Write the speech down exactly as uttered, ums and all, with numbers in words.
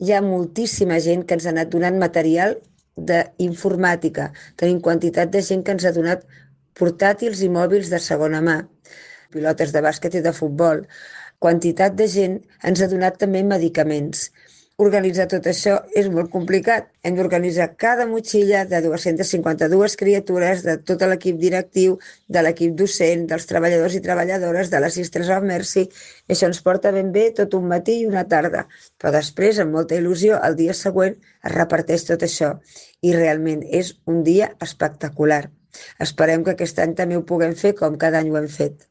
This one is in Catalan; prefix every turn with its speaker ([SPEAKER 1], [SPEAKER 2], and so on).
[SPEAKER 1] hi ha moltíssima gent que ens ha anat donant material d'informàtica. Tenim quantitat de gent que ens ha donat portàtils i mòbils de segona mà, pilotes de bàsquet i de futbol. Quantitat de gent ens ha donat també medicaments. Organitzar tot això és molt complicat. Hem d'organitzar cada motxilla de dos-centes cinquanta-dues criatures, de tot l'equip directiu, de l'equip docent, dels treballadors i treballadores, de les Sisters of Mercy. Això ens porta ben bé tot un matí i una tarda. Però després, amb molta il·lusió, el dia següent es reparteix tot això. I realment és un dia espectacular. Esperem que aquest any també ho puguem fer com cada any ho hem fet.